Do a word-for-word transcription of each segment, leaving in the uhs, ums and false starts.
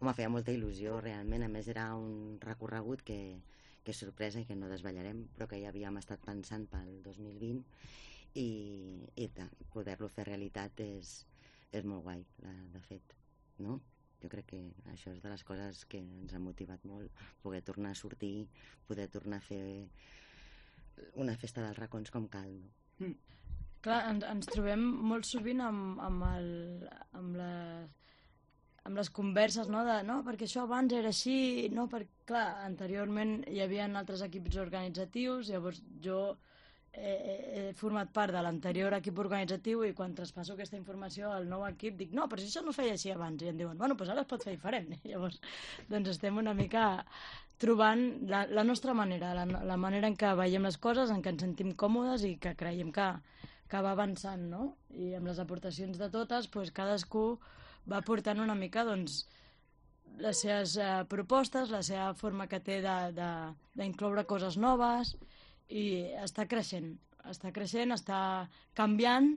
Home, feia molta il·lusió, realment. A més, era un recorregut que, que és sorpresa i que no desvetllarem, però que ja havíem estat pensant pel dos mil vint i, i poder-lo fer realitat és, és molt guai, de fet, no? Jo crec que això és de les coses que ens ha motivat molt, poder tornar a sortir, poder tornar a fer una festa dels racons com cal, no? Mm. Clar, ens, ens trobem molt sovint amb, amb, el, amb, la, amb les converses, no? De, no, perquè això abans era així, no? Perquè, clar, anteriorment hi havia altres equips organitzatius, llavors jo he, he format part de l'anterior equip organitzatiu i quan traspasso aquesta informació al nou equip dic, no, però si això no es feia així abans, i em diuen, bueno, doncs ara es pot fer diferent. I llavors, doncs estem una mica trobant la, la nostra manera, la, la manera en què veiem les coses, en què ens sentim còmodes i que creiem que, que va avançant, no? I amb les aportacions de totes, doncs, cadascú va portant una mica doncs, les seves eh, propostes, la seva forma que té d'incloure coses noves i està creixent, està creixent, està canviant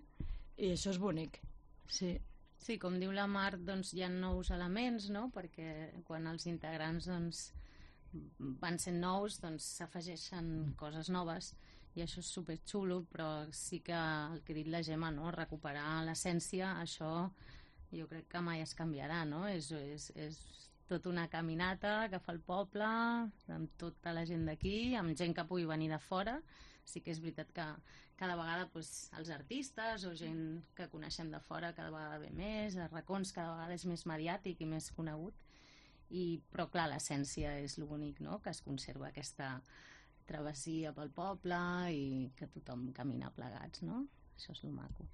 i això és bonic, sí. Sí, com diu la Mar, doncs hi ha nous elements, no? Perquè quan els integrants doncs, van sent nous, doncs s'afegeixen coses noves i això és superxulo, però sí que el que ha dit la Gemma, no? Recuperar l'essència, això jo crec que mai es canviarà, no? És, és, és tota una caminata que fa el poble amb tota la gent d'aquí, amb gent que pugui venir de fora. Sí que és veritat que cada vegada doncs, els artistes o gent que coneixem de fora cada vegada ve més, els racons cada vegada és més mediàtic i més conegut. I, però clar, l'essència és l'únic, no? Que es conserva aquesta travessia pel poble i que tothom camina plegats, no? Això és lo maco.